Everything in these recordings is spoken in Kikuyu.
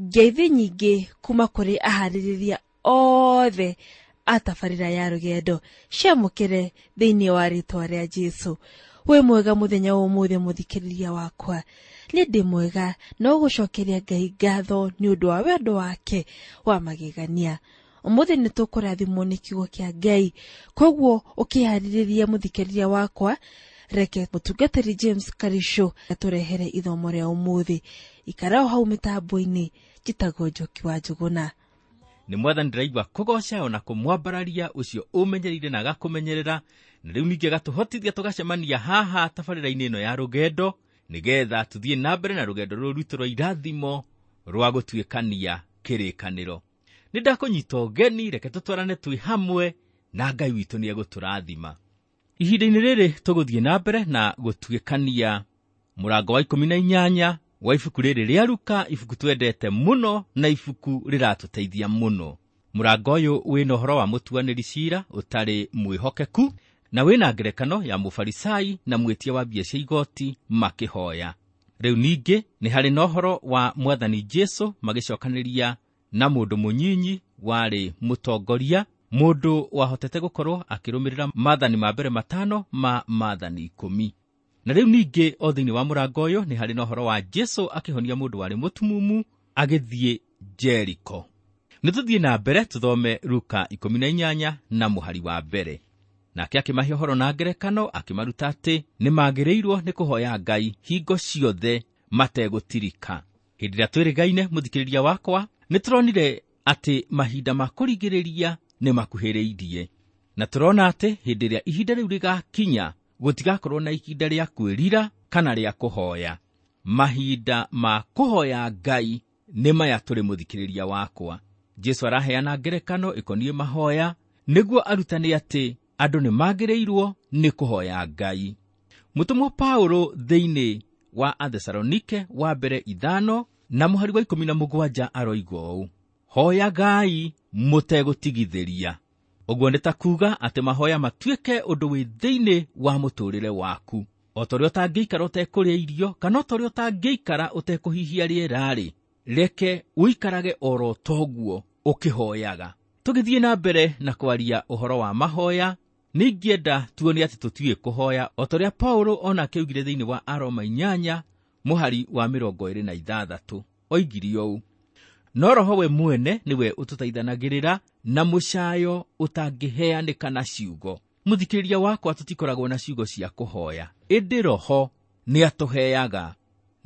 Ngeithi nyingĩ kuma kũrĩ aharĩrĩria othe a tabarĩra ya rũgendo ciamũkĩre thĩinĩ wa rĩtwa rĩa Jesũ. Wĩ mwega mũthenya wa ũmũthĩ mũthikĩrĩria wakwa. Nĩ ndĩ mwega no gũcokeria Ngai ngatho nĩ ũndũ wa wendo wake wa magegania. Ũmũthĩ nĩ tũkũrathimwo nĩ kiugo kĩa Ngai, koguo ũkĩharĩrĩria mũthikĩrĩria wakwa, reke mũtungatĩri James Karisho atũrehere ithomo rĩa ũmũthĩ. Ikara o hau mĩtambo-inĩ, njĩtagwo Njoki wa Njũgũna. Nĩ mwathani ndĩraigua kũgoca ona kũmwambararia ũcio ũmenyereire na agakũmenyerera, na rĩu ningĩ agatũhotithia tũgacemania haha tabarĩra-inĩ ĩno ya rũgendo, nĩgetha tũthiĩ na mbere na rũgendo rũrũ rwitũ rwa irathimo rwa gũtuĩkania kĩrĩkanĩro. Nĩ ndakũnyita ũgeni, reke tũtwarane twĩ hamwe na Ngai witũ nĩ egũtũrathima. Ihinda-inĩ rĩrĩ tũgũthiĩ na mbere na gũtuĩkania mũrango wa 18 wa ibuku rĩrĩ rĩa Luka, ibuku twendete mũno na ibuku rĩratũteithia mũno. Mũrango ũyũ wĩna ũhoro wa mũtuanĩri cira ũtarĩ mwĩhokeku na wĩna ngerekano ya mũfarisai na mwĩtia wa mbia cia igoti makĩhoya. Rĩu ningĩ nĩ harĩ na ũhoro wa mwathani Jesũ magĩcokanĩria na mũndũ mũnyinyi warĩ mũtongoria, mũndũ wahotete gũkorwo akĩrũmĩrĩra maathani ma mbere 5 ma maathani 10. Na rĩu ningĩ o thĩinĩ wa mũrango ũyũ nĩ harĩ na ũhoro wa Jesũ akĩhonia mũndũ warĩ mũtumumu agĩthiĩ Jeriko. Nĩ tũthiĩ na mbere tũthome Luka 18 na mũhari wa mbere. Nake akĩmahe ũhoro na ngerekano akĩmaruta atĩ nĩ magĩrĩirwo nĩ kũhoya Ngai hingo ciothe mategũtirika. Hĩndĩ ĩrĩa twĩrĩgaine mũthikĩrĩria wakwa, nĩ tũronire atĩ mahinda ma kũrigĩrĩria nĩ makuhĩrĩirie. Na tũrona atĩ hĩndĩ ĩrĩa ihinda rĩu rĩgakinya gũtigakorwo na ihinda rĩa kwĩrira kana rĩa kũhoya. Mahinda ma kũhoya Ngai nĩ maya tũrĩ mũthikĩrĩria wakwa. Jesũ araheana ngerekano ĩkoniĩ mahoya nĩguo arutane atĩ andũ nĩ magĩrĩirwo nĩ kũhoya Ngai. Mũtũmwo Paũlũ thĩinĩ wa Athesalonike wa mbere 5 na mũhari wa 17 aroiga ũũ: hoyagai mũtegũtigithĩria. Ũguo nĩ ta kuuga atĩ mahoya matuĩke ũndũ wĩ thĩinĩ wa mũtũũrĩre waku. O ta ũrĩa ũtangĩikara ũtekũrĩa irio, kana o ta ũrĩa ũtangĩikara ũtekũhihia rĩera-rĩ, reke ũikarage oro toguo ũkĩhoyaga. Tũgĩthiĩ na mbere na kwaria ũhoro wa mahoya, nĩingĩenda tuone atĩ tũtiũĩ kũhoya o ta ũrĩa Paũlũ onake oigire thĩinĩ wa Aroma 8 mũhari wa 26. Oigire ũũ: no Roho we mwene nĩwe ũtũteithanagĩrĩra na mũcayo ũtangĩheanĩka na ciugo. Mũthikĩrĩria wakwa, tũtikoragwo na ciugo cia kũhoya, ĩndĩ Roho nĩatũheaga,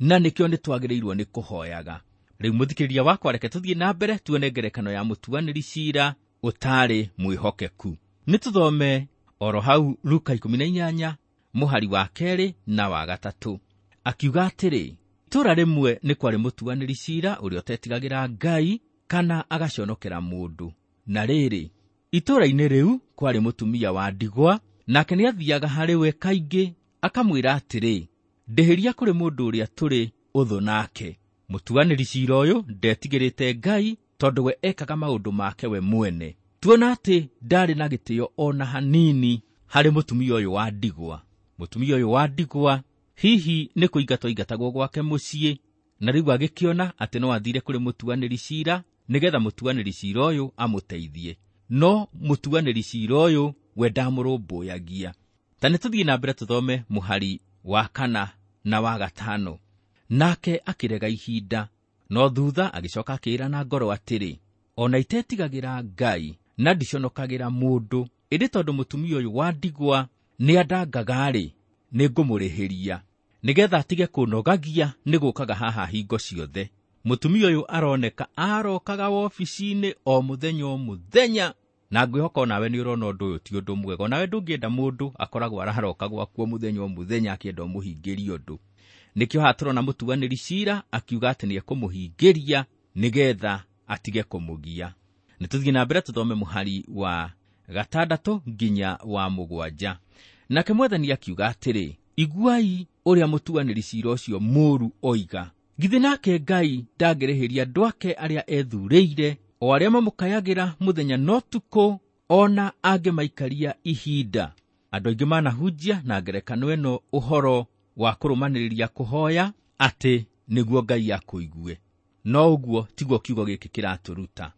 na nĩkĩo nĩtwagĩrĩirwo nĩ kũhoyaga. Rĩu mũthikĩrĩria wakwa, reke tũthiĩ na mbere tuone ngerekano ya mũtuanĩri cira ũtarĩ mwĩhokeku. Nĩ tũthome oro hau Luka 18 mũhari wa 2 na wa 3. Akiuga atĩrĩ, itũũra rĩmwe nĩ kwarĩ mũtuanĩri cira ũrĩa ũtetigagĩra Ngai kana agaconokera mũndũ. Na rĩrĩ, itũũra-inĩ rĩu kwarĩ mũtumia wa ndigwa, nake nĩathiaga harĩ we kaingĩ akamwĩra atĩrĩ, ndĩhĩria kũrĩ mũndũ ũrĩa tũrĩ ũthũ nake. Mũtuanĩri cira ũyũ ndetigĩrĩte Ngai tondũ we ekaga maũndũ make we mwene. Tuona atĩ ndarĩ na gĩtĩo ona hanini harĩ mũtumia ũyũ wa ndigwa. Mũtumia ũyũ wa ndigwa hihi nĩ kũingatwo aingatagwo gwake mũciĩ, na rĩu agĩkĩona atĩ no athire kũrĩ mũtuanĩri cira nĩgetha mũtuanĩri cira ũyũ amũteithie. No mũtuanĩri cira ũyũ we ndamũrũmbũyagia. Ta nĩ tũthiĩ na mbere tũthome mũhari wa 4 na wa 5. Nake akĩrega ihinda, no thutha agĩcoka akĩĩra na ngoro atĩrĩ, ona itetigagĩra Ngai na ndiconokagĩra mũndũ, ĩndĩ tondũ mũtumia ũyũ wa ndigwa nĩandangaga-rĩ, nĩngũmũrĩhĩria nĩgetha atige kũnogagia nĩ gũkaga haha hingo ciothe. Mũtumia ũyũ aroneka arokaga wobici-inĩ o mũthenya o mũthenya, na ngwĩhoka onawe nĩ ũrona ũndũ ũyũ ti ũndũ mwega. Onawe ndũngĩenda mũndũ akoragwo araroka gwaku o mũthenya o mũthenya akĩenda ũmũhingĩrie ũndũ. Nĩkĩo haha tũrona mũtuanĩri cira akiuga atĩ nĩekũmũhingĩria nĩgetha atige kũmũgia. Nĩ tũthiĩ na mbere tũthome mũhari wa 6 nginya wa 7. Nake mwathani akiuga atĩrĩ, iguai ũrĩa mũtuanĩri cira ũcio mũũru oiga. Githĩ nake Ngai ndangĩrĩhĩria andũ ake arĩa ethurĩire, o arĩa mamũkayagĩra mũthenya na ũtukũ, ona angĩmaikaria ihinda. Andũ aingĩ manahunjia na ngerekano ĩno ũhoro wa kũrũmanĩrĩria kũhoya atĩ nĩguo Ngai akũigue. No ũguo tiguo kiugo gĩkĩ kĩratũruta.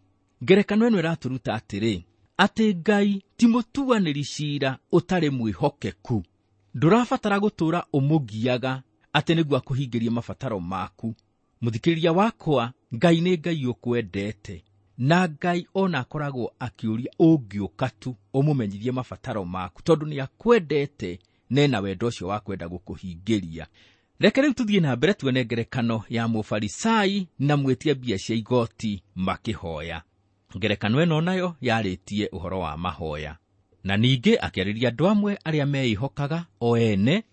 Ngerekano ĩno ĩratũruta atĩrĩ, atĩ Ngai ti mũtuanĩri ciira ũtarĩ mwĩhokeku. Ndũrabatara gũtũũra ũmũgiaga atĩ nĩguo akũhingĩrie mabataro maku. Mũthikĩrĩria wakwa, Ngai nĩ Ngai ũkwendete, na Ngai ona akoragwo akĩũria ũngĩũka tu ũmũmenyithie mabataro maku, tondũ nĩ akwendete nena wendo ũcio wa kwenda gũkũhingĩria. Reke rĩu tũthiĩ na mbere tuone ngerekano ya Mũfarisai na mwĩtia mbia cia igoti makĩhoya. Ngerekano ĩno nayo yarĩtie ũhoro wa mahoya, na ningĩ akĩarĩria andũ amwe arĩa meĩhokaga o ene,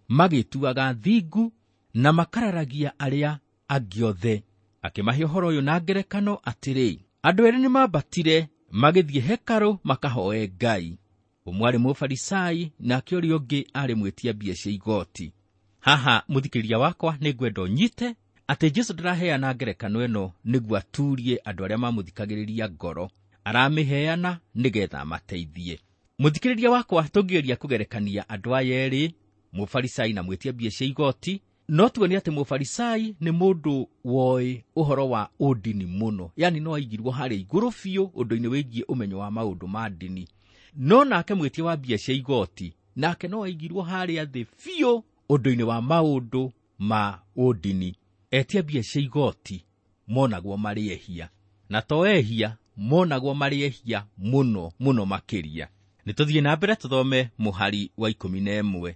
magĩtuaga thingu na makararagia arĩa angĩ othe. Akĩmahe ũhoro ũyũ na ngerekano atĩrĩ, andũ erĩ nĩmambatire magĩthiĩ hekarũ makahoe Ngai. Ũmwe aarĩ Mũfarisai nake ũrĩa ũngĩ aarĩ mwĩtia mbia cia igoti. Haha mũthikĩrĩria wakwa nĩngwenda ũnyite atĩ Jesũ ndaraheana ngerekano ĩno nĩguo aturie andũ arĩa mamũthikagĩrĩria ngoro, aramĩheana nĩgetha amateithie. Mũthikĩrĩria wakwa, tũngĩgeria kũgerekania andũ aya erĩ, Mũfarisai na mwĩtia mbia cia igoti, no tuone atĩ Mũfarisai nĩ mũndũ woĩ ũhoro wa ũndini mũno, yani no aigirwo harĩa igũrũ biũ ũndũ-inĩ wĩgiĩ ũmenyo wa maũndũ ma ndini. No nake mwĩtia wa mbia cia igoti nake no aigirwo harĩa thĩ biũ ũndũ-inĩ wa maũndũ ma ũndini. Etia mbia cia igoti monagwo marĩ ehia, na to ehia, monagwo marĩ ehia mũno mũno makĩria. Nĩtũthiĩ na mbere tũthome mũhari wa 11.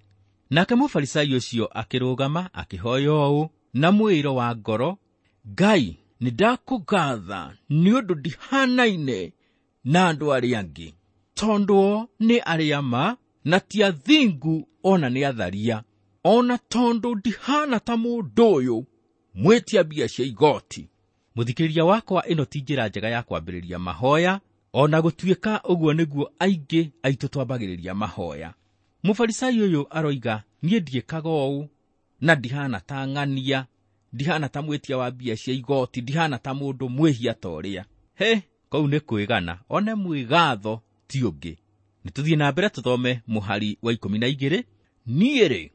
Nake Mũfarisai ũcio akĩrũgama akĩhoya ũũ na mwĩĩro wa ngoro, Ngai, nĩndakũgatha nĩ ũndũ ndihanaine na andũ arĩa angĩ, tondũ o nĩ arĩa ma na ti athingu ona nĩ atharia, ona tondũ ndihana ta mũndũ ũyũ mwĩtia mbia cia igoti. Mũthikĩrĩria wakwa, ĩno ti njĩra njega ya kwambĩrĩria mahoya, ona gũtuĩka ũguo nĩguo aingĩ aitũ twambagĩrĩria mahoya. Mũfarisai ũyũ aroiga, niĩ ndiĩkaga ũũ na ndihana ta ng'ania, ndihana ta mwĩtia wa mbia cia igoti, ndihana ta mũndũ mwĩhia ta ũrĩa. He, kũu nĩ kwĩgana, one mwĩgatho ti ũngĩ. Nĩtũthiĩ na mbere tũthome mũhari wa 12. Niĩ-rĩ,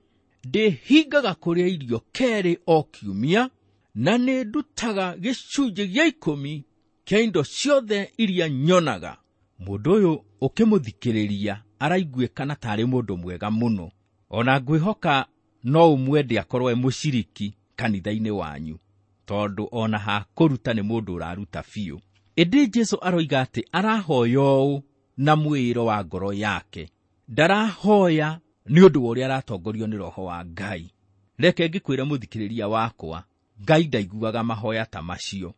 ndĩhingaga kũrĩa irio kerĩ o kiumia, na nĩndutaga gĩcunjĩ gĩa 10 kĩa indo ciothe iria nyonaga. Mũndũ ũyũ ũkĩmũthikĩrĩria araiguĩkana tarĩ mũndũ mwega mũno, ona ngwĩhoka no ũmwende akorwo e mũciriki kanitha-inĩ wanyu, tondũ ona hakũruta nĩ mũndũ ũraruta biũ. Ĩndĩ Jesũ aroiga atĩ arahoya ũũ na mwĩĩro wa ngoro yake, ndarahoya nĩ ũndũ wa ũrĩa aratongorio nĩ Roho wa Ngai. Reke ngĩkwĩre mũthikĩrĩria wakwa, Ngai ndaiguaga mahoya ta macio.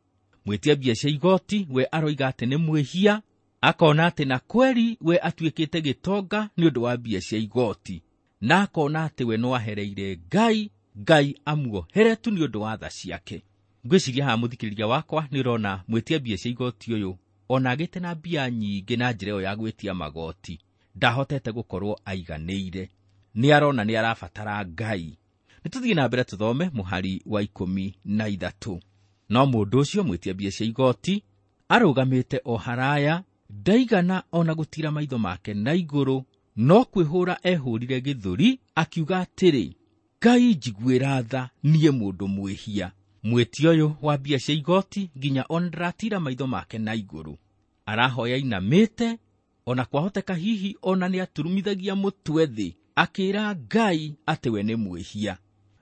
Mwĩtia mbia cia igoti we aroiga atĩ nĩ mwĩhia, akona atĩ na kweri we atuĩkĩte gĩtonga nĩ ũndũ wa mbia cia igoti, na akona atĩ we no ahereire Ngai, Ngai amuohere tu nĩ ũndũ wa tha ciake. Ngwĩciria haha mũthikĩrĩria wakwa nĩ ũrona mwĩtia mbia cia igoti ũyũ ona agĩte na mbia nyingĩ na njĩra ĩyo ya gwĩtia magoti, ndahotete gũkorwo aiganĩire. Nĩ arona nĩ arabatara Ngai. Nĩtũthiĩ na mbere tũthome mũhari wa 13. No mũndũ ũcio mwĩtia mbia cia igoti arũgamĩte o haraya, ndaigana ona gũtira maitho make na igũrũ, no kwĩhũra ehũrire gĩthũri akiuga atĩrĩ, Ngai njiguĩra tha niĩ mũndũ mwĩhia. Mwĩtia ũyũ wa mbia cia igoti nginya ona ndaratira maitho make na igũrũ, arahoya inamĩte, ona kwahoteka hihi ona nĩ aturumithagia mũtwe thĩ akĩra Ngai atĩ we nĩ mwĩhia.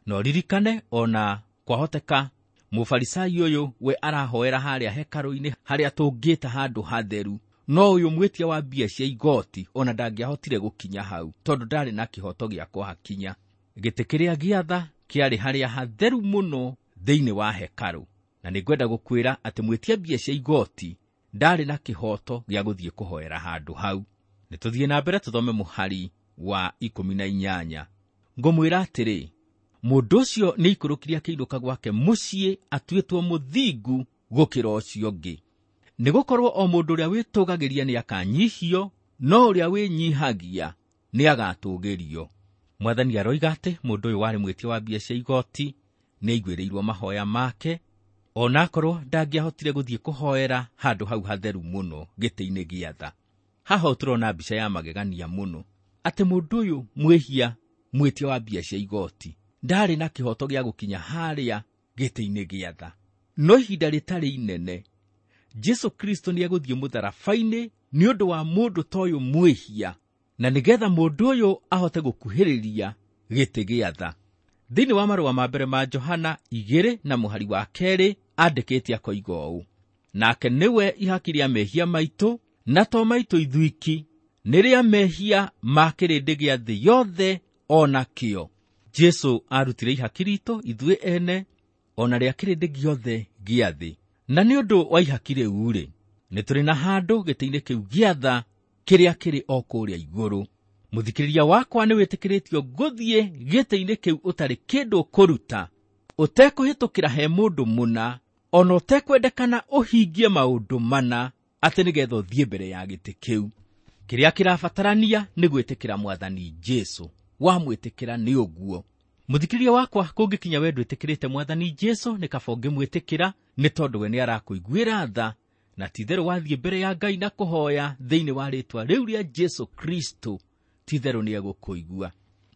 No ririkane ona kwahoteka Mũfarisai ũyũ we arahoera harĩa hekarũ-inĩ harĩa tũngĩta handũ hatheru, no ũyũ mwĩtia wa mbia cia igoti ona ndangĩahotire gũkinya hau tondũ ndarĩ na kĩhoto gĩa kũhakinya. Gĩtĩ kĩrĩa gĩa tha kĩarĩ harĩa hatheru mũno thĩinĩ wa hekarũ, na nĩngwenda gũkwĩra atĩ mwĩtia mbia cia igoti ndarĩ na kĩhoto gĩa gũthiĩ kũhoera handũ hau. Nĩtũthiĩ na mbere tũthome mũhari wa 18. Ngũmwĩra atĩrĩ, mũndũ ũcio nĩaikũrũkire akĩinũka gwake mũciĩ atuĩtwo mũthingu gũkĩra ũcio ũngĩ. Nĩgũkorwo o mũndũ ũrĩa wĩtũgagĩria nĩakanyihio, no ũrĩa wĩnyihagia nĩagatũgĩrio. Mwathani aroiga atĩ mũndũ ũyũ warĩ mwĩtia wa mbia cia igoti nĩaiguĩrĩirwo mahoya make, onakorwo ndangĩahotire gũthiĩ kũhoera handũ hau hatheru mũno gĩtĩ-inĩ gĩa tha. Haha tũrona mbica ya magegania mũno atĩ mũndũ ũyũ mwĩhia mwĩtia wa mbia cia igoti ndarĩ na kĩhoto gĩa gũkinya harĩa gĩtĩ-inĩ gĩa tha, No ihinda rĩtarĩ inene Jesu Kristo nĩ egũthiĩ mũtharaba-inĩ nĩ ũndũ wa mũndũ ta ũyũ mwĩhia, na nĩgetha mũndũ ũyũ ahote gũkuhĩrĩria gĩtĩ gĩa tha. Thĩinĩ wa marũa ma mbere ma Johana 2 na mũhari wa 2 andĩkĩte akoiga ũũ: nake nĩwe ihaki rĩa mehia maitũ, na to maitũ ithuiki, nĩ rĩa mehia ma kĩrĩndĩ gĩa thĩ yothe o nakĩo. Jesu arutire ihaki ritũ ithuĩ ene ona rĩa kĩrĩndĩ gĩothe gĩa thĩ. Na nĩ ũndũ wa ihaki rĩu-rĩ, nĩ tũrĩ na handũ gĩtĩ-inĩ kĩu gĩa tha kĩrĩa kĩrĩ o kũrĩa igũrũ. Mũthikĩrĩria wakwa nĩ wĩtĩkĩrĩtio gũthiĩ gĩtĩ-inĩ kĩu ũtarĩ kĩndũ ũkũruta, ũtekũhĩtũkĩra he mũndũ mũna, ona ũtekwendekana ũhingie maũndũ mana atĩ nĩgetha ũthiĩ mbere ya gĩtĩ kĩu. Kĩrĩa kĩrabatarania nĩ gwĩtĩkĩra Mwathani Jesu. Wamwĩtĩkĩra nĩ ũguo. Mũthikĩrĩria wakwa, kũngĩkinya we ndwĩtĩkĩrĩte Mwathani Jesu, nĩ kaba ũngĩmwĩtĩkĩra, nĩ tondũ we nĩ arakũiguĩra tha, na ti-itherũ wathiĩ mbere ya Ngai na kũhoya thĩinĩ wa rĩĩtwa rĩu rĩa Jesu Kristo, ti-itherũ nĩ egũkũigua.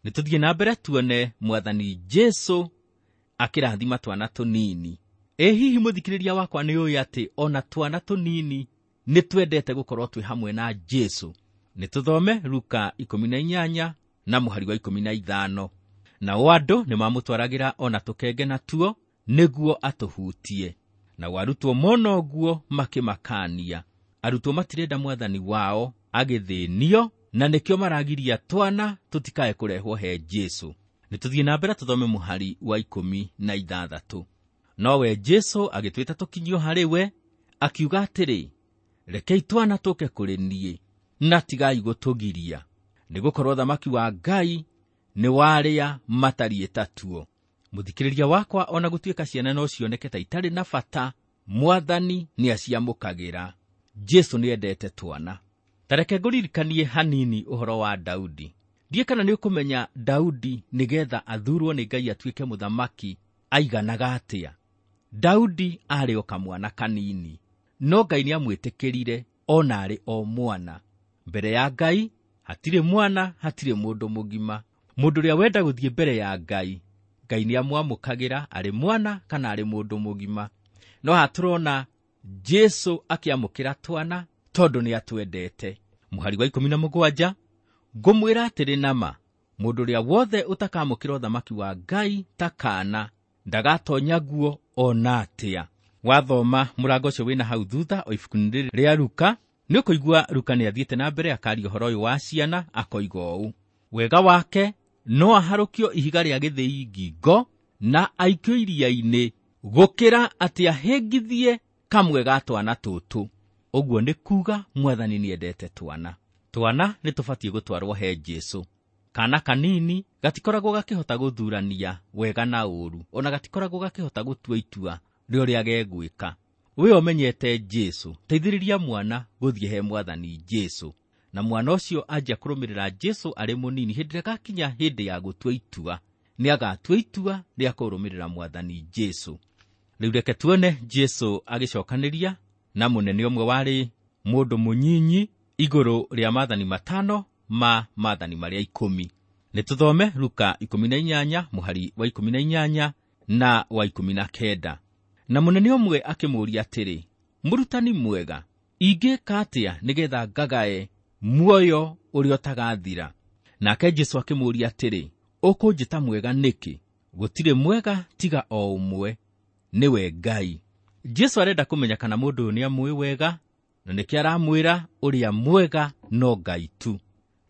Nĩ tũthiĩ na mbere tuone Mwathani Jesu akĩrathima twana tũnini. Ĩ hihi mũthikĩrĩria wakwa nĩ ũĩ atĩ ona twana tũnini nĩ twendete gũkorwo twĩ hamwe na Jesu? Nĩ tũthome Luka 18 na mũhari wa 15. Nao andũ nĩ mamũtwaragĩra ona tũkenge natuo nĩguo atũhutie. Nao arutwo mona ũguo makĩmakania. Arutwo matirenda Mwathani wao agĩthĩnio, na nĩkĩo maragiria twana tũtikae kũrehwo he Jesu. Nĩ tũthiĩ na mbere tũthome mũhari wa 16. Nowe Jesu agĩtwĩta tũkinyio harĩ we, akiuga atĩrĩ, rekei twana tũke kũrĩ niĩ, na tigai gũtũgiria, nĩgũkorwo thamaki wa Ngai nĩ warĩa matariĩ ta tuo. Mũthikĩrĩria wakwa, ona gũtuĩka ciana no cioneke ta itarĩ na bata, Mwathani nĩ aciamũkagĩra. Jesu nĩ endete twana. Ta reke ngũririkanie hanini ũhoro wa Daudi. Ndiĩ kana nĩ ũkũmenya Daudi nĩgetha athurwo nĩ Ngai atuĩke mũthamaki aiganaga atĩa. Daudi aarĩ o kamwana kanini, no Ngai nĩ amwĩtĩkĩrire ona arĩ o mwana. Mbere ya Ngai hatirĩ mwana, hatirĩ mũndũ mũgima. Mũndũ ũrĩa wenda gũthiĩ mbere ya Ngai, Ngai nĩ amwamũkagĩra arĩ mwana kana arĩ mũndũ mũgima. No haha tũrona Jesu akĩamũkĩra twana tondũ nĩ atwendete. Mũhari wa 17, ngũmwĩra atĩrĩ nama, mũndũ ũrĩa wothe ũtakamũkĩra ũthamaki wa Ngai ta kaana ndagatonya guo ona atĩa. Wathoma mũrango ũcio wĩna hau thutha o ibuku-inĩ rĩrĩ rĩa Luka, nĩ ũkũigua Luka nĩ athiĩte na mbere akaria ũhoro ũyũ wa ciana, akoiga ũũ: wega wake no aharũkio ihiga rĩa gĩthĩi ngingo na aikio iria-inĩ, gũkĩra atĩ ahĩngithie kamwe ga twana tũtũ. Ũguo nĩ kuga Mwathani nĩ endete twana. Twana nĩ tũbatiĩ gũtwarwo he Jesu. Kana kanini gatikoragwo gakĩhota gũthurania wega na ũũru, ona gatikoragwo gakĩhota gũtua itua rĩa ũrĩa gegwĩka. We ũmenyete Jesu, teithĩrĩria mwana gũthiĩ he Mwathani Jesu, na mwana ũcio anjia kũrũmĩrĩra Jesu arĩ mũnini, hĩndĩ ĩrĩa gakinya hĩndĩ ya gũtua itua, nĩ agatua itua rĩa kũrũmĩrĩra Mwathani Jesu. Rĩu reke tuone Jesu agĩcokanĩria na mũnene ũmwe warĩ mũndũ mũnyinyi igũrũ rĩa maathani 5 ma maathani marĩa 10. Nĩ tũthome Luka 18 mũhari wa 18 na wa 19. Na mũnene ũmwe akĩmũũria atĩrĩ, mũrutani mwega, ingĩka atĩa nĩgetha ngagae muoyo ũrĩa ũtagathira? Nake Jesu akĩmũũria atĩrĩ, ũkũnjĩta mwega nĩkĩ? Gũtirĩ mwega tiga o ũmwe, nĩwe Ngai. Jesu arenda kũmenya kana mũndũ ũyũ nĩamũĩ wega, na nĩkĩo aramwĩra ũrĩa mwega no Ngai tu.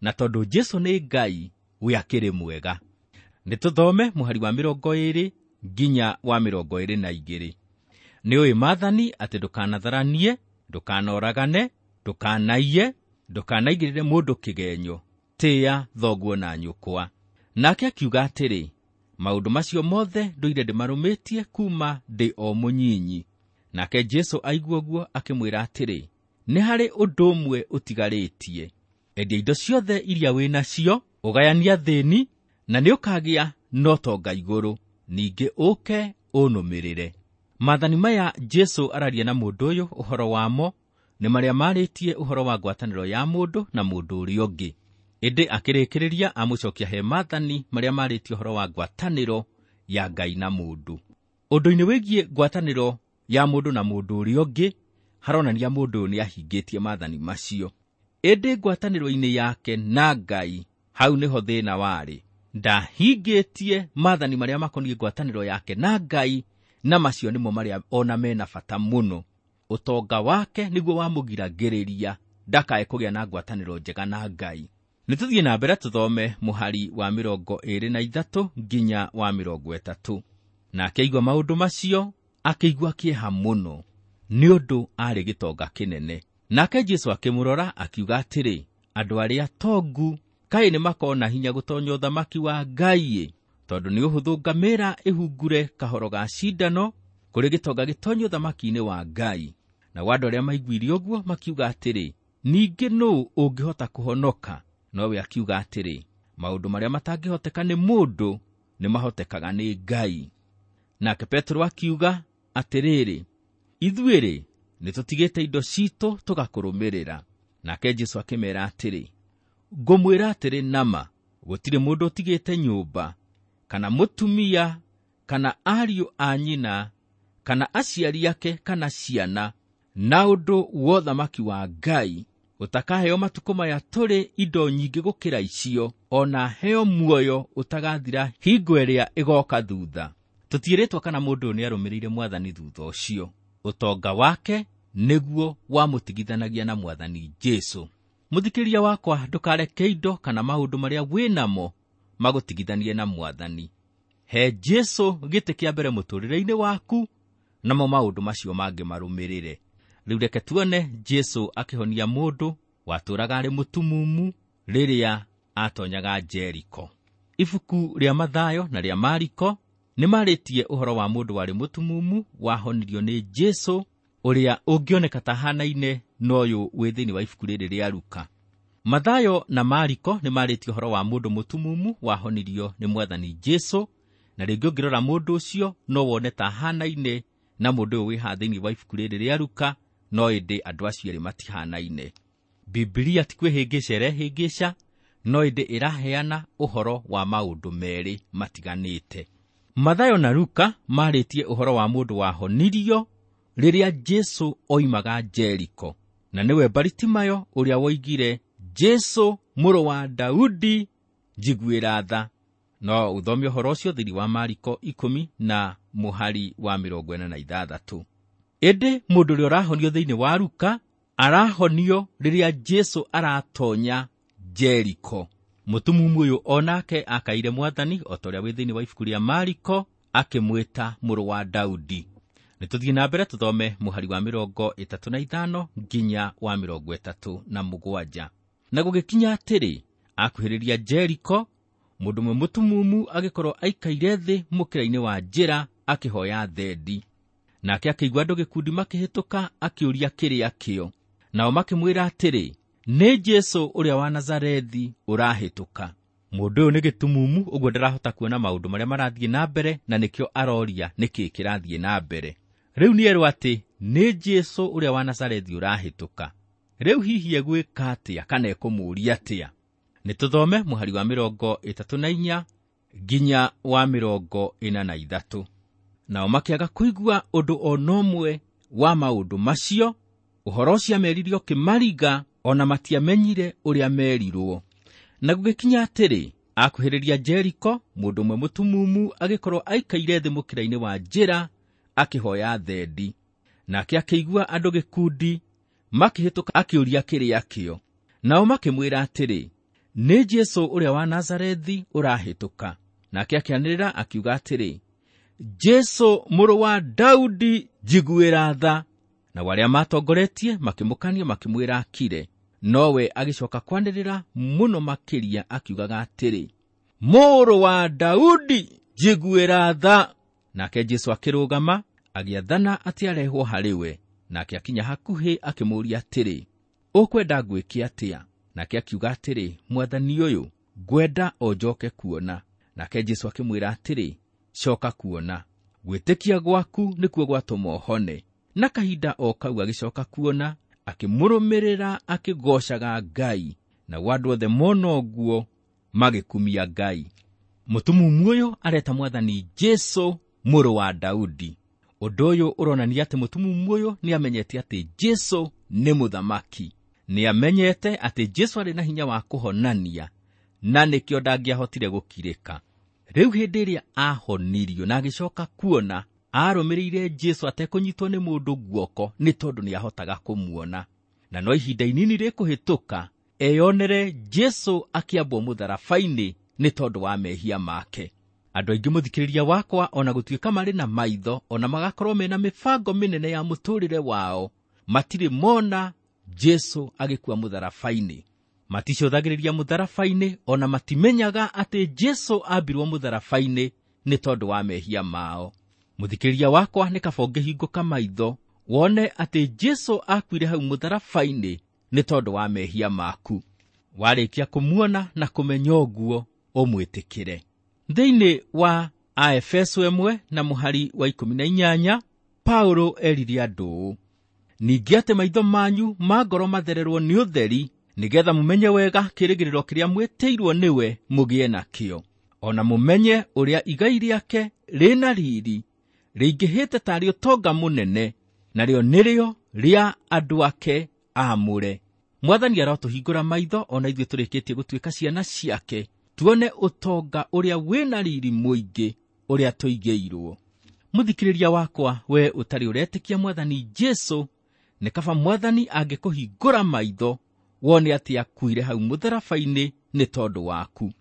Na tondũ Jesu nĩ Ngai, we akĩrĩ mwega. Nĩ tũthome mũhari wa 20 nginya wa 22. Nĩ ũĩ maathani atĩ ndũkanatharanie, ndũkanoragane, ndũkanaiye, ndũkanaigĩrĩre mũndũ kĩgenyo, tĩĩa thoguo na nyũkwa. Nake akiuga atĩrĩ, maũndũ macio mothe ndũire ndĩmarũmĩtie kuma ndĩ o mũnyinyi. Nake Jesu aigua ũguo akĩmwĩra atĩrĩ, nĩ harĩ ũndũ ũmwe ũtigarĩtie. Endia indo ciothe iria wĩ nacio, ũgayanie athĩni, na nĩ ũkagĩa na ũtonga igũrũ, ningĩ ũke ũnũmĩrĩre. Maathani maya Jesu araria na mũndũ ũyũ ũhoro wamo nĩ marĩa marĩtie ũhoro wa ngwatanĩro ya mũndũ na mũndũ ũrĩa ũngĩ. Ĩndĩ akĩrĩkĩrĩria amũcokia he maathani marĩa marĩtie ũhoro wa ngwatanĩro ya Ngai na mũndũ. Ũndũ-inĩ wĩgiĩ ngwatanĩro ya mũndũ na mũndũ ũrĩa ũngĩ haronania mũndũ ũyũ nĩahingĩtie maathani macio. Ĩndĩ ngwatanĩro-inĩ yake na Ngai, hau nĩho thĩna warĩ. Ndahingĩtie maathani marĩa makoniĩ ngwatanĩro yake na Ngai, na macio nĩmo marĩa ona mena bata mũno. Ũtonga wake nĩguo wamũgiragĩrĩria ndakae kũgĩa na ngwatanĩro njega na Ngai. Nĩtũthiĩ na mbere tũthome mũhari wa 23 nginya wa 30. Nake aigua maũndũ macio akĩigua kĩeha mũno, nĩ ũndũ aarĩ gĩtonga kĩnene. Nake Jesũ akĩmũrora akiuga atĩrĩ, andũ arĩa tongu kaĩ nĩmakona hinya gũtonya ũthamaki wa Ngai-ĩ, tondũ nĩ ũhũthũ ngamĩra ĩhungure kahoro ga cindano kũrĩ gĩtonga gĩtonye ũthamaki-inĩ wa Ngai. Nao andũ arĩa maiguire ũguo makiuga atĩrĩ, ningĩ nũũ ũngĩhota kũhonoka? Nowe akiuga atĩrĩ, maũndũ marĩa matangĩhoteka nĩ mũndũ nĩmahotekaga nĩ Ngai. Nake Petero akiuga atĩrĩrĩ, ithuĩ-rĩ nĩtũtigĩte indo citũ tũgakũrũmĩrĩra. Nake Jesũ akĩmeera atĩrĩ, ngũmwĩra atĩrĩ nama, gũtirĩ mũndũ ũtigĩte nyũmba, kana mũtumia, kana ariũ a nyina, kana aciari ake, kana ciana, na ũndũ wa ũthamaki wa Ngai, ũtakaheo matukũ maya tũrĩ indo nyingĩ gũkĩra icio, ona heo muoyo ũtagathira hingo ĩrĩa ĩgoka thutha. Tũtiĩrĩtwo kana mũndũ ũyũ nĩarũmĩrĩire mwathani thutha ũcio. Ũtonga wake nĩguo wamũtigithanagia na mwathani Jesũ. Mũthikĩria wakwa, ndũkareke indo kana maũndũ marĩa wĩnamo magũtigithanie na mwathani. He Jesũ gĩtĩ kĩa mbere mũtũũrĩre-inĩ waku, namo maũndũ macio mangĩ marũmĩrĩre. Rĩu reke tuone Jesũ akĩhonia mũndũ watũũraga arĩ mũtumumu rĩrĩa atonyaga Jeriko. Ibuku rĩa Mathayo na rĩa Mariko nĩmarĩtie ũhoro wa mũndũ warĩ mũtumumu wahonirio nĩ Jesũ, ũrĩa ũngĩoneka ta hanaine na ũyũ wĩ thĩinĩ wa ibuku rĩrĩ rĩa Luka. Mathayo na Mariko nĩmarĩtie ũhoro wa mũndũ mũtumumu wahonirio nĩ mwathani Jesũ, na rĩngĩ ũngĩrora mũndũ ũcio no wone ta hanaine na mũndũ ũyũ wĩ haha thĩinĩ wa ibuku rĩrĩ rĩa Luka, no ĩndĩ andũ acio erĩ matihanaine. Bibilia ti kwĩhĩngĩca ĩrehĩngĩca, no ĩndĩ ĩraheana ũhoro wa maũndũ merĩ matiganĩte. Mathayo na Luka marĩtie ũhoro wa mũndũ wahonirio rĩrĩa Jesũ oimaga Jeriko, na nĩwe Baritimayo ũrĩa woigire, Jesũ mũrũ wa Daudi, njiguĩra tha. No ũthome ũhoro ũcio thĩinĩ wa Mariko 10 na mũhari wa 46. Ĩndĩ mũndũ ũrĩa ũrahonio thĩinĩ wa Luka arahonio rĩrĩa Jesũ aratonya Jeriko. Mũtumumu ũyũ onake akaire mwathani o ta ũrĩa wĩ thĩinĩ wa ibuku rĩa Mariko akĩmwĩta mũrũ wa Daudi. Nĩtũthiĩ na mbere tũthome mũhari wa 35 nginya wa 37. Na gũgĩkinya atĩrĩ, akuhĩrĩria Jeriko, mũndũ ũmwe mũtumumu agĩkorwo aikaire thĩ mũkĩra-inĩ wa njĩra akĩhoya thendi. Nake akĩigua andũ gĩkundi makĩhĩtũka akĩũria kĩrĩa kĩo. Nao makĩmwĩra atĩrĩ, nĩ Jesũ ũrĩa wa Nazarethi ũrahĩtũka. Mũndũ ũyũ nĩ gĩtumumu, ũguo ndarahota kuona maũndũ marĩa marathiĩ na mbere, na nĩkĩo aroria nĩkĩĩ kĩrathiĩ na mbere. Rĩu nĩerwo atĩ nĩ Jesũ ũrĩa wa Nazarethi ũrahĩtũka. Rĩu hihi egwĩka atĩa kana ekũmũũria atĩa? Nĩtũthome mũhari wa 34 nginya wa 43. Nao makĩaga kũigua ũndũ o na ũmwe wa maũndũ macio, ũhoro ũcio amerire ũkĩmariga, ona matiamenyire ũrĩa merirwo. Na gũgĩkinya atĩrĩ, akuhĩrĩria Jeriko, mũndũ ũmwe mũtumumu agĩkorwo aikaire thĩ mũkĩra-inĩ wa njĩra akĩhoya thendi. Nake akĩigua andũ gĩkundi makĩhĩtũka akĩũria kĩrĩa kĩo. Nao makĩmwĩra atĩrĩ, nĩ Jesũ ũrĩa wa Nazarethi ũrahĩtũka. Nake akĩanĩrĩra akiuga atĩrĩ, Jesũ mũrũ wa Daudi, njiguĩra tha. Nao arĩa matongoretie makĩmũkania makĩmwĩra akire, nowe agĩcoka kwanĩrĩra mũno makĩria akiugaga atĩrĩ, mũrũ wa Daudi, njiguĩra tha. Nake Jesũ akĩrũgama agĩathana atĩ arehwo harĩ we. Nake akinya hakuhĩ akĩmũũria atĩrĩ, ũkwenda ngwĩke atĩa? Nake akiuga atĩrĩ, mwathani ũyũ, ngwenda o njoke kuona. Nake Jesũ akĩmwĩra atĩrĩ, coka kuona, gwĩtĩkia gwaku nĩkuo gwatũma ũhone. Na kahinda o kau agĩcoka kuona, akĩmũrũmĩrĩra akĩgoocaga Ngai. Nao andũ othe mona ũguo magĩkumia Ngai. Mũtumumu ũyũ areta mwathani Jesũ mũrũ wa Daudi. Ũndũ ũyũ ũronania atĩ mũtumumu ũyũ nĩamenyete atĩ Jesũ nĩ mũthamaki. Nĩamenyete atĩ Jesũ arĩ na hinya wa kũhonania, na nĩkĩo ndangĩahotire gũkirĩka. Rĩu hĩndĩ ĩrĩa ahonirio na agĩcoka kuona, arũmĩrĩire Jesũ atekũnyitwo nĩ mũndũ guoko nĩ tondũ nĩahotaga kũmuona. Na no ihinda inini rĩkũhĩtũka eyonere Jesũ akĩambwo mũtharaba-inĩ nĩ tondũ wa mehia make. Andũ aingĩ mũthikĩrĩria wakwa, ona gũtuĩka marĩ na maitho, ona magakorwo mena mĩbango mĩnene ya mũtũrĩre wao, matirĩ mona Jesũ agĩkua mũtharaba-inĩ. Maticũthagĩrĩria mũtharaba-inĩ, ona matimenyaga atĩ Jesũ ambirwo mũtharaba-inĩ nĩ tondũ wa mehia mao. Mũthikĩrĩria wakwa, nĩ kaba ũngĩhingũka maitho wone atĩ Jesũ akuire hau mũtharaba-inĩ nĩ tondũ wa mehia maku. Warĩkia kũmuona na kũmenya ũguo, ũmwĩtĩkĩre. Thĩinĩ wa Aefeso 1 na mũhari wa 18, Paulo erire andũ ũũ: ningĩ atĩ maitho manyu ma ngoro mathererwo nĩ ũtheri, nĩgetha mũmenye wega kĩĩrĩgĩrĩro kĩrĩa mwĩtĩirwo nĩwe mũgĩe nakĩo, ona mũmenye ũrĩa igai rĩake rĩna riri rĩingĩhĩte tarĩ ũtonga mũnene, narĩo nĩrĩo rĩa andũ ake aamũre. Mwathani arotũhingũra maitho ona ithuĩ tũrĩkĩtie gũtuĩka ciana ciake, tuone ũtonga ũrĩa wĩna riri mũingĩ ũrĩa tũigĩirwo. Mũthikĩrĩria wakwa, we ũtarĩ ũretĩkia Mwathani Jesũ, nĩ kaba Mwathani angĩkũhingũra maitho wone atĩ akuire hau mũtharaba-inĩ nĩ tondũ waku.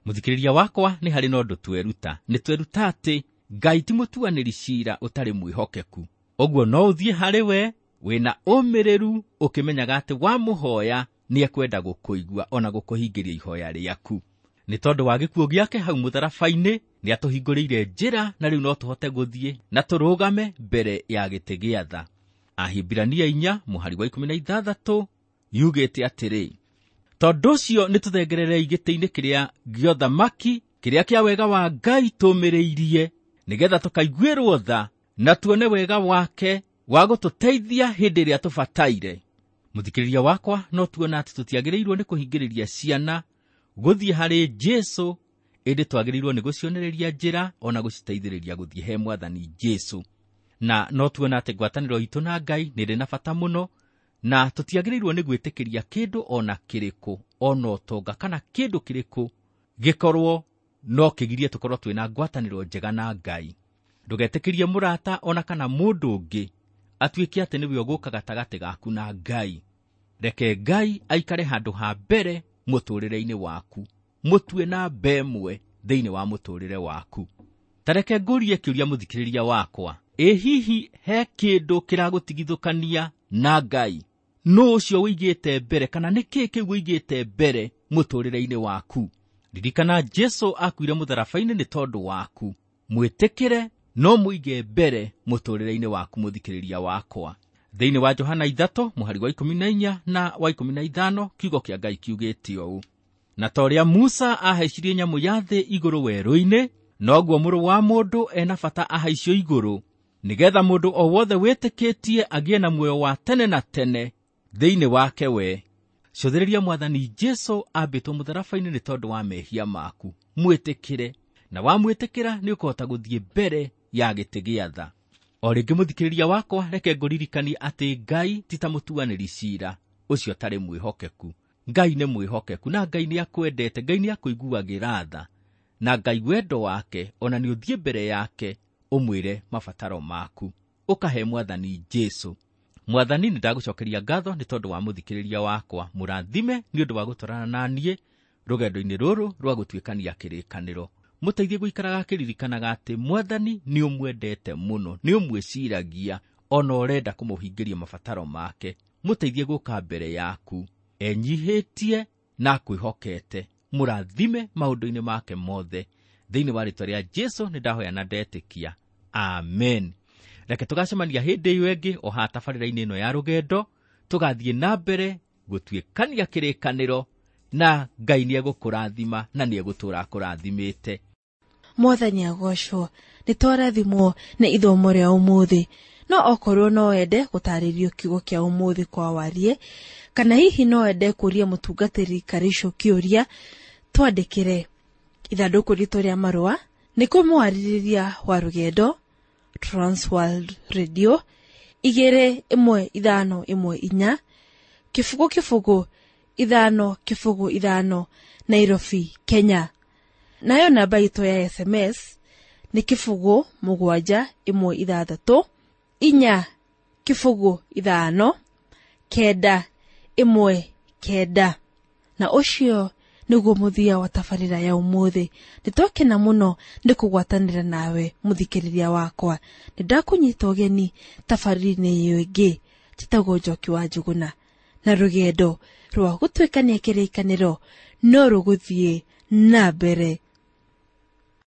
Mũthikĩrĩria wakwa, nĩ harĩ na ũndũ tweruta. Nĩ tweruta atĩ Ngai ti mũtuanĩri ciira ũtarĩ mwĩhokeku. Ũguo no ũthiĩ harĩ we wĩna ũmĩrĩru, ũkĩmenyaga atĩ wamũhoya nĩekwenda gũkũigua ona gũkũhingĩria ihoya rĩaku. Nĩ tondũ wa gĩkuũ gĩake hau mũtharaba-inĩ, nĩatũhingũrĩire njĩra na rĩu no tũhote gũthiĩ na tũrũgame mbere ya gĩtĩ gĩa tha. Ahibirania 4 mũhari wa 16 yugĩte atĩrĩ: tondũ ũcio nĩtũthengererei gĩtĩ-inĩ kĩrĩa gĩa ũthamaki, kĩrĩa kĩa wega wa Ngai tũmĩrĩirie, nĩgetha tũkaiguĩrwo tha na tuone wega wake wa gũtũteithia hĩndĩ ĩrĩa tũbataire. Mũthikĩrĩria wakwa, no tuona atĩ tũtiagĩrĩirwo nĩ kũhingĩrĩria ciana gũthiĩ harĩ Jesũ, ĩndĩ twagĩrĩirwo nĩ gũcionereria njĩra ona gũciteithĩrĩria gũthiĩ he Mwathani Jesũ. Na no tuona atĩ ngwatanĩro itũ na Ngai nĩ ĩrĩ na bata mũno, na tũtiagĩrĩirwo nĩ gwĩtĩkĩria kĩndũ ona kĩrĩkũ, ona ũtonga kana kĩndũ kĩrĩkũ gĩkorwo no kĩgirie tũkorwo twĩna ngwatanĩro njega na Ngai. Ndũgetĩkĩrie mũrata ona kana mũndũ ũngĩ atuĩke atĩ nĩwe ũgũka gatagatĩ gaku na Ngai. Reke Ngai aikare handũ ha mbere mũtũrĩre-inĩ waku, mũtue na mbemwe thĩinĩ wa mũtũrĩre waku. Ta reke ngũrie kĩũria mũthikĩrĩria wakwa, ĩ hihi he kĩndũ kĩragũtigithũkania na Ngai? Nũ ũcio ũigĩte mbere, kana nĩ kĩĩ kĩu ũigĩte mbere mũtũrĩre-inĩ waku? Ririkana Jesũ akuire mũtharaba-inĩ nĩ tondũ waku. Mwĩtĩkĩre no mũige mbere mũtũrĩre-inĩ waku mũthikĩrĩria wakwa. Thĩinĩ wa Johana 3 mũhari wa 14 na wa 15 kiugo kĩa Ngai kiugĩte ũũ: na ta ũrĩa Musa ahaicirie nyamũ ya thĩ igũrũ werũ-inĩ, noguo mũrũ wa mũndũ ena bata ahaicio igũrũ, nĩgetha mũndũ o wothe wĩtĩkĩtie agĩe na muoyo wa tene na tene thĩinĩ wake we. Cũthĩrĩria Mwathani Jesũ ambĩtwo mũtharaba-inĩ nĩ tondũ wa mehia maku. Mwĩtĩkĩre, na wamwĩtĩkĩra nĩ ũkũhota gũthiĩ mbere ya gĩtĩ gĩa tha. O rĩngĩ mũthikĩrĩria wakwa, reke ngũririkanie atĩ Ngai ti ta mũtuanĩri ciira ũcio ũtarĩ mwĩhokeku. Ngai nĩ mwĩhokeku, na Ngai nĩakwendete, Ngai nĩakũiguagĩra tha, na Ngai wendo wake ona nĩ ũthiĩ mbere yake ũmwĩre mabataro maku, ũkahe Mwathani Jesũ. Mwathani, nĩ ndagũcokeria ngatho nĩ tondũ wa mũthikĩrĩria wakwa. Mũrathime nĩ ũndũ wa gũtwarana na niĩ rũgendo-inĩ rũrũ rwa gũtuĩkania kĩrĩkanĩro. Mũteithie gũikaraga akĩririkanaga atĩ Mwathani nĩ ũmwendete mũno, nĩ ũmwĩciragia, ona ũrenda kũmũhingĩria mabataro make. Mũteithie gũka mbere yaku enyihĩtie na akwĩhokete. Mũrathime maũndũ-inĩ make mothe. Thĩinĩ wa rĩĩtwa rĩa Jesũ nĩ ndahoya na ndetĩkia, amen. Reke tũgacemania hĩndĩ ĩyo ĩngĩ o haha tabarĩra-inĩ ĩno ya rũgendo, tũgathiĩ na mbere gũtuĩkania kĩrĩkanĩro, na Ngai nĩegũkũrathima na nĩegũtũũra akũrathimĩte. Mwathani agocwo. Nĩ twarathimwo nĩ ithomo rĩa ũmũthĩ. No okorwo no wende gũtarĩrio kiugo kĩa ũmũthĩ kwa warie, kana hihi no wende kũria mũtungatĩri Karicũ kĩũria, twandĩkĩre ithandũkũ ritũ rĩa marũa nĩ kũmwarĩrĩria wa rũgendo, Transworld Radio 21514 0 0 5 0 5 Nairobi, Kenya. Nayo namba itũ ya SMS nĩ 0 7 1 6 4 0 5 9 1 9. Na ũcio nĩguo mũthia wa tabarĩra ya ũmũthĩ. Nĩtwakena mũno nĩ kũgwatanĩra nawe mũthikĩrĩria wakwa. Nĩndakũnyita ũgeni tabarĩra-inĩ ĩyo ĩngĩ. Njĩtagwo Njoki wa Njũgũna, na rũgendo rwa gũtuĩkania kĩrĩkanĩro no rũgũthiĩ na mbere.